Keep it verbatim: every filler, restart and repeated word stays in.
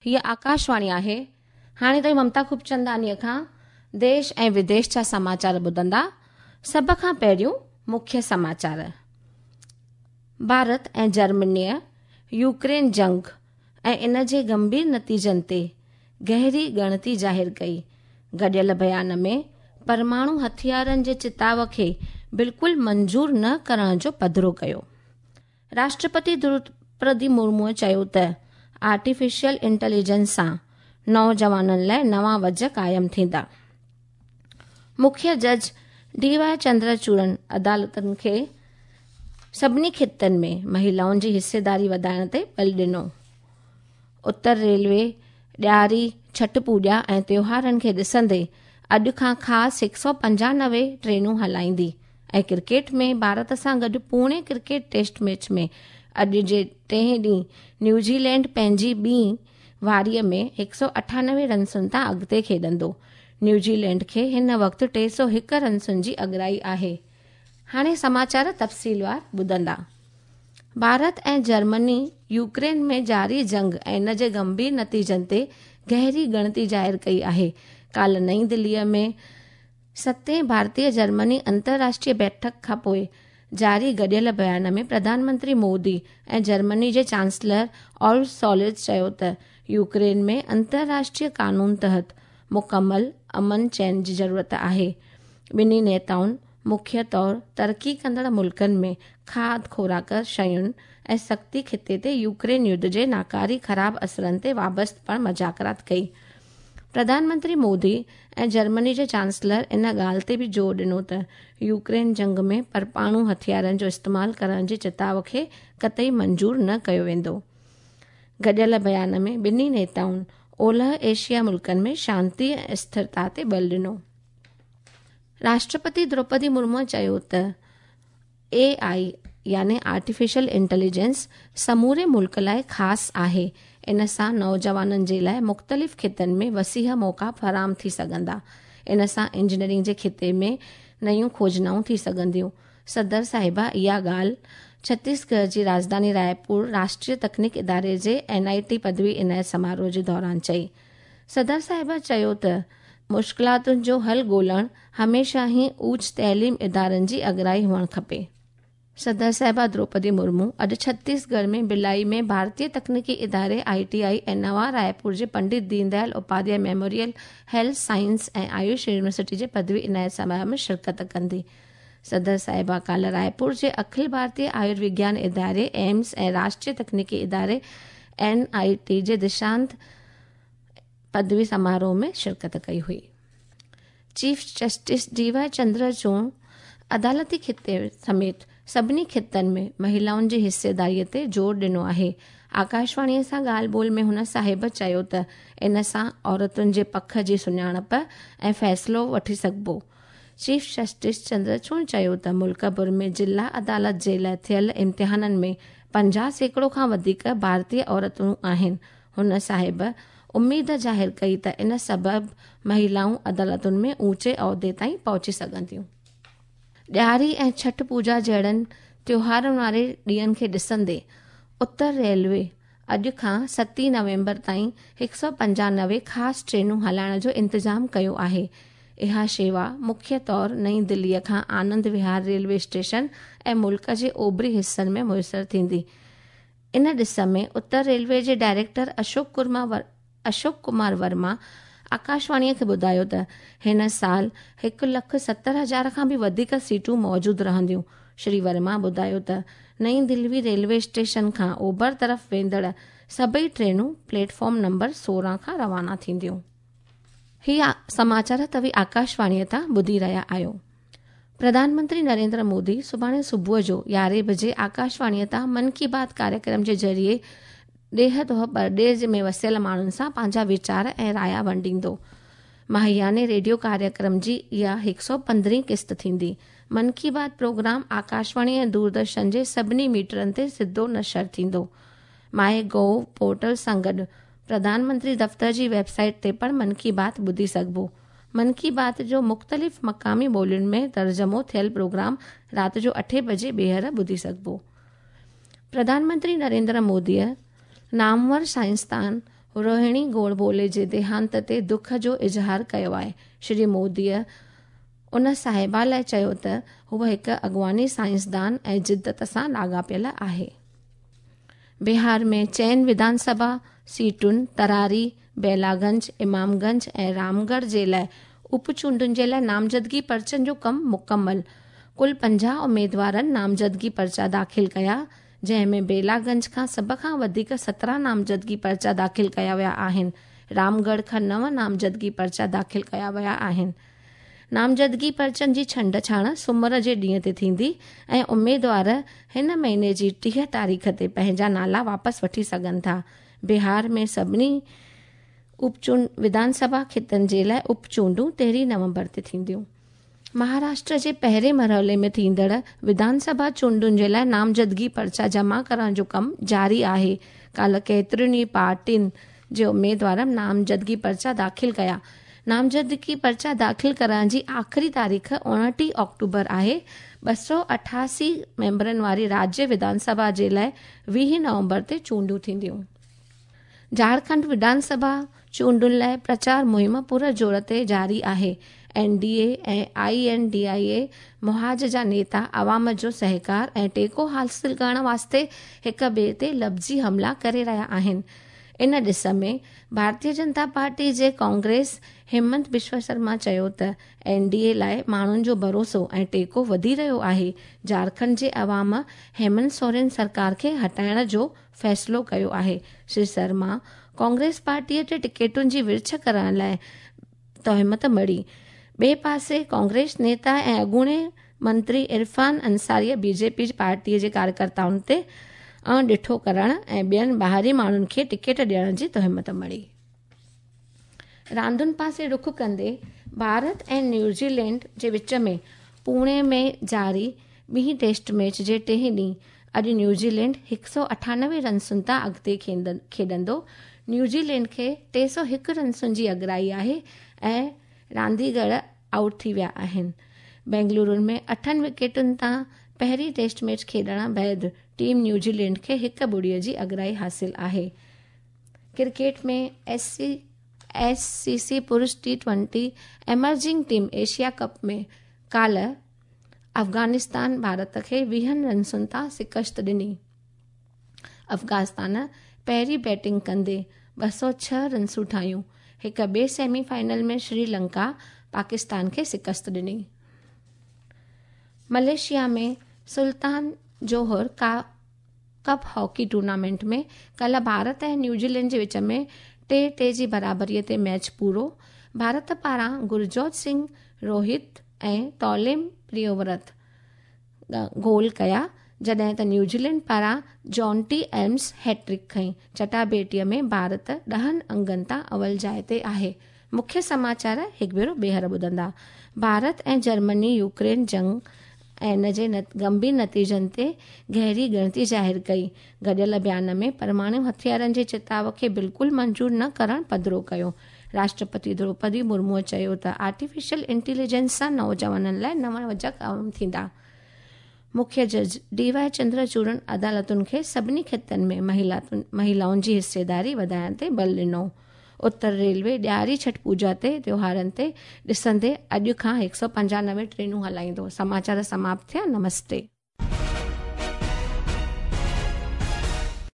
هيءَ آڪاشواڻي آهي. هاڻي توهين ممتا خوبچنداڻيءَ کان ديش ۽ وديش جا سماچار ٻڌندا. سڀ کان پهريون مکيه سماچار. ڀارت ۽ جرمنيءَ يوڪرين جنگ ۽ ان جي گنڀير نتيجن تي گهري ڳڻتي ظاهر ڪئي. گڏيل بيان ۾ پرماڻو هٿيارن جي چتاءُ کي بلڪل منظور نه ڪرڻ جو پڌرو ڪيو. راشٽرپتي دروپدي مرموءَ چيو ته آرٽيفيشل انٽيليجنس سان نوجوانن لاءِ نوان وجهه قائم ٿيندا. مکيه جج ڊي وائي چندرچوڙن عدالتن کي سڀني خطن ۾ مهلائن جي حصيداري وڌائڻ تي بل ڏنو. اتر ريلوي ڏياري، ڇٺ پوڄا ۽ تيوهارن کي ڏسندي اڄ کان خاص هڪ سؤ پنجانوي ٽرينون هلائيندي. ۽ ڪرڪيٽ ۾ ڀارت سان گڏ پوني ڪرڪيٽ ٽيسٽ ميچ ۾ اڄ جي ٽئين ڏينهن نيوزيلينڊ پنهنجي ٻي واريءَ ۾ هڪ سؤ اٺانوي رنسن تان اڳتي کيڏندو. نيوزيلينڊ کي هن وقت ٽي سؤ هڪ رنسن جي اڳرائي آهي. هاڻي سماچار تفصيلوار ٻڌندا. ڀارت ۽ جرمني يوڪرين ۾ جاري جنگ ۽ ان جي گنڀير نتيجن تي گهري ڳڻتي ظاهر ڪئي آهي. ڪالهه نئين دليءَ ۾ ستين ڀارتيه جرمني انترراشٽريه بيٺڪ کان پوءِ جاري گڏيل بيان ۾ پرڌان منتري مودي ۽ جرمني جي چانسلر اولف سولز چيو ته يوڪرين ۾ انترراشٽريه قانون تحت مڪمل امن چين جي ضرورت آهي. ٻنهي نيتائن مکيه طور ترقي ڪندڙ ملڪن ۾ کاڌ خوراڪ شين ۽ سختي خطي تي يوڪرين يڌ جي ناڪاري خراب اثرن تي وابسته پڻ مذاڪرات ڪئي. پرڌان منتري مودي ۽ جرمني جي چانسلر ان ڳالهه تي به زور ڏنو ته يوڪرين جنگ ۾ پرماڻو هٿيارن جو استعمال ڪرڻ جي چتاءُ کي قطعي منظور نه ڪيو ويندو. گڏيل بيان ۾ ٻنهي نيتائن اولهه ايشيا ملڪن ۾ شانتي ۽ اسٿرتا تي بل ڏنو. راشٽرپتي دروپدي مرموءَ چيو ته اي آئي يعني آرٽيفيشل انٽيليجنس سموري ملڪ لاءِ خاص آهي. ان سان نوجوانن جي لاءِ مختلف خطن ۾ وسيع موقعا فراهم ٿي سگهندا. ان سان انجنيئرنگ جي خطي ۾ نيون کوجنائون ٿي سگهنديون. صدر صاحبه اها ڳالهه ڇتيسڳڙهه جي راڄڌاني رائپور راشٽريه تڪنيڪ اداري جي اين I ٽي پدوي عنايت سماروهه جي دوران چئي. صدر صاحبه چيو ته مشڪلاتن جو حل ڳولڻ هميشه ئي اوچ تعليم ادارن جي اڳرائي هئڻ کپي. صدر صاحبه دروپدي مرمو اڄ ڇتيسڳڙهه ۾ ڀلائي ۾ ڀارتيه تڪنيڪي اداري I T I ۽ نوان رائپور جي Pandit Deen Dayal Upadhyay memorial health science ۽ Ayush university جي پدوي عنايت سماروهه ۾ شرڪت ڪندي. صدر صاحبه ڪالهه رائپور جي اکل ڀارتيه آيوروگيان اداري ايمس ۽ راشٽريه تڪنيڪي اداري اين I ٽي جي دشانت پدوي سماروهه ۾ شرڪت ڪئي هئي. Chief justice D Y Chandrachud عدالتي خطي سميت سڀني خطن ۾ مهلائن جي حصيداريءَ تي زور ڏنو آهي. آڪاشواڻيءَ سان ڳالهه ٻولهه ۾ هن صاحب چيو ته ان سان عورتن جي پک جي سڃاڻپ ۽ فيصلو وٺي سگهبو. چيف جسٽس چندرچوڙ چيو ته ملڪ ڀر ۾ ضلع عدالت جي لاءِ ٿيل امتحانن ۾ پنجاهه سيڪڙو کان وڌيڪ ڀارتيه عورتون آهن. هن صاحب اميد ظاهر ڪئي ته ان سبب مهلائون عدالتن ۾ اوچي عهدي تائين پهچي سگهنديون. ڏياري ۽ ڇٺ پوڄا جهڙن تيوهارن واري ڏينهن کي ڏسندي اتر ريلوي اڄ کان ستين نومبر تائين هڪ سؤ پنجانوي خاص ٽرينون هلائڻ جو انتظام ڪيو آهي. اها شيوا مکيه طور نئين دليءَ کان آنند وهار ريلوي اسٽيشن ۽ ملڪ جي اوڀري حصن ۾ ميسر ٿيندي. ان ڏس ۾ اتر ريلوي جي ڊائريڪٽر اشوڪ ڪمار اشوڪ ڪمار ورما آڪاشواڻيءَ کي ٻڌايو ته هن سال هڪ لک ستر هزار کان به وڌيڪ سيٽون موجود رهنديون. شري ورما ٻڌايو ته نئين دلي ريلوي اسٽيشن کان اوڀر طرف ويندڙ سڀئي ٽرينون پليٽ فارم نمبر سورهن کان روانا ٿينديون. هيءَ سماچار توهين آڪاشواڻيءَ تان ٻڌي رهيا آهيو. پرڌان منتري نريندر مودي سڀاڻي صبح جو يارهين بجي آڪاشواڻيءَ تان من ڪي بات ڪاريڪرم جي ذريعي ڏيهه توڙي پرديس ۾ وسيل ماڻهن سان پنهنجا ويچار ۽ رايا ونڊيندو. ماهياني ريڊيو ڪاريڪرم جي اها هڪ سؤ پندرهين قسط ٿيندي. من ڪي بات پروگرام آڪاشواڻي ۽ دوردرشن جي سڀني ميٽرن تي سڌو نشر ٿيندو. مائي گوو پورٽل سان گڏ پرڌان منتري دفتر جي ويب سائيٽ تي پڻ من ڪي بات ٻڌي سگهبو. من ڪي بات جو مختلف مقامي ٻولين ۾ ترجمو ٿيل پروگرام رات جو اٺين بجي ٻيهر ٻڌي سگهبو. پرڌان منتري نريندر موديءَ نامور سائنسدان روهڻي گوڊبولي جي ديهانت تي دک جو اظهار ڪيو آهي. شري موديءَ ان صاحبه لاءِ چيو ته هوءَ هڪ اڳواڻي سائنسدان ۽ جدت سان لاڳاپيل آهي. بهار ۾ چئن وڌان سڀا سيٽن تراري، بيلاگنج، امامگنج ۽ رامڳڙهه جي لاءِ اپچونڊن جي لاءِ نامزدگي پرچن جو ڪم مڪمل. ڪل پنجاهه اميدوارن نامزدگي پرچا داخل ڪيا، جنهن ۾ بيلاگنج کان سڀ کان وڌيڪ سترهن نامزدگي پرچا داخل ڪيا ويا آهن. رامڳڙهه کان نو نامزدگي پرچا داخل ڪيا ويا آهن. نامزدگي پرچن جي ڇنڊ ڇاڻ سومر جي ڏينهن تي ٿيندي ۽ اميدوار هن مهيني جي ٽيهه تاريخ تي پنهنجا نالا واپس وٺي سگهن ٿا. بهار ۾ سڀني اپچونڊ وڌان سڀا کيتن جي لاءِ اپچونڊون تيرهين نومبر تي ٿينديون. مهاراشٽر جي پهرين مرحلي ۾ ٿيندڙ وڌان سڀا چونڊن جي لاءِ نامزدگي پرچا جمع ڪرڻ جو ڪم جاري آهي. ڪالهه ڪيترين ئي پارٽين جي اميدوارن نامزدگي پرچا داخل ڪيا. نامزدگي پرچا داخل ڪرڻ جي آخري تاريخ اڻٽيهه آڪٽوبر آهي. ٻه سؤ اٺاسي ميمبرن واري راجيه وڌان سڀا جي لاءِ ويهه نومبر تي چونڊون ٿينديون. جهارکنڊ وڌان سڀا چونڊن لاءِ پرچار مهم پور زور تي جاري آهي. N D A ۽ I N D I A محاذ جا نيتا عوام جو سهڪار ۽ ٽيڪو حاصل ڪرڻ واسطي هڪ ٻئي تي لفظي حملا ڪري رهيا آهن. ان ڏس ۾ ڀارتيه جنتا پارٽي جي ڪانگريس همنت بشو شرما چيو ته اين ڊي اي لاءِ ماڻهن جو ڀروسو ۽ ٽيڪو وڌي رهيو آهي. جهارکنڊ جي عوام هيمنت سورين سرڪار کي هٽائڻ جو فيصلو ڪيو آهي. شري شرما ڪانگريس پارٽيءَ تي ٽڪيٽن جي ورڇ ڪرڻ لاءِ تهمت مڙهي. ٻئي پاسي ڪانگريس نيتا ۽ اڳوڻي منتري عرفان انصاريءَ بي جي پي پارٽيءَ جي ڪاريڪرتائن تي اڻڏٺو ڪرڻ ۽ ٻين ٻاهرين ماڻهن کي ٽڪيٽ ڏيڻ جي تهمت مڙهي. راندن پاسي رخ ڪندي ڀارت ۽ نيوزيلينڊ جي وچ ۾ پوني ۾ جاري ٻي ٽيسٽ ميچ جي ٽئين ڏينهن اڄ نيوزيلينڊ هڪ سؤ اٺانوي رنسن تان اڳتي کيڏندو. نيوزيلينڊ کي ٽي سؤ هڪ رنسن جي اڳرائي آهي ۽ رانديگر آئوٽ ٿي ويا آهن. بينگلورو ۾ اٺن وڪيٽن تان پهرين ٽيسٽ ميچ کيڏڻ بعد ٽيم نيوزيلينڊ کي هڪ ٻڙيءَ جي اڳرائي حاصل آهي. Cricket ۾ S C S C C پرش T twenty emerging team Asia cup ۾ ڪالهه افغانستان ڀارت کي ويهن رنسن تان شڪست ڏني. افغانستان پهرين بيٽنگ ڪندي ٻه سؤ ڇهه رنسون ٺاهيون. هڪ ٻئي سيمي فائنل ۾ سري لنڪا پاڪستان کي شڪست ڏني. ملائيشيا ۾ سلطان جوهر ڪا ڪپ هاڪي ٽورنامينٽ ۾ ڪالهه ڀارت ۽ نيوزيلينڊ جي وچ ۾ ٽي ٽي جي برابريءَ تي ميچ پورو. ڀارت پاران گرجوت سنگهه، روهت ۽ توليم پريوورت گول ڪيا، جڏهن ته نيوزيلينڊ پاران جانٽي ايمس هيٽرڪ کنئي. چٽاڀيٽيءَ ۾ ڀارت ڏهن انگن تان اول جاءِ تي آهي. مکيه سماچار هڪ ڀيرو ٻيهر ٻڌندا. ڀارت ۽ جرمني يوڪرين جنگ ۽ ان جي گنڀير نتيجن تي گهري ڳڻتي ظاهر ڪئي. گڏيل بيان ۾ پرماڻو هٿيارن جي چتاءُ کي بلڪل منظور نه ڪرڻ پڌرو ڪيو. راشٽرپتي دروپدي مرموءَ چيو ته آرٽيفيشل انٽيليجنس سان نوجوانن لاءِ نوان وجهه قائم ٿيندا. مکيه جج ڊي وائي چندرچوڙ عدالتن کي سڀني کيتن ۾ مهلائن جي حصيداري وڌائڻ تي بل ڏنو. اتر ريلوي ڏياري ڇٺ پوڄا تي تيوهارن تي ڏسندي اڄ کان هڪ سؤ پنجانوي ٽرينون هلائيندو. سماچار سماپت ٿيا. نمستي.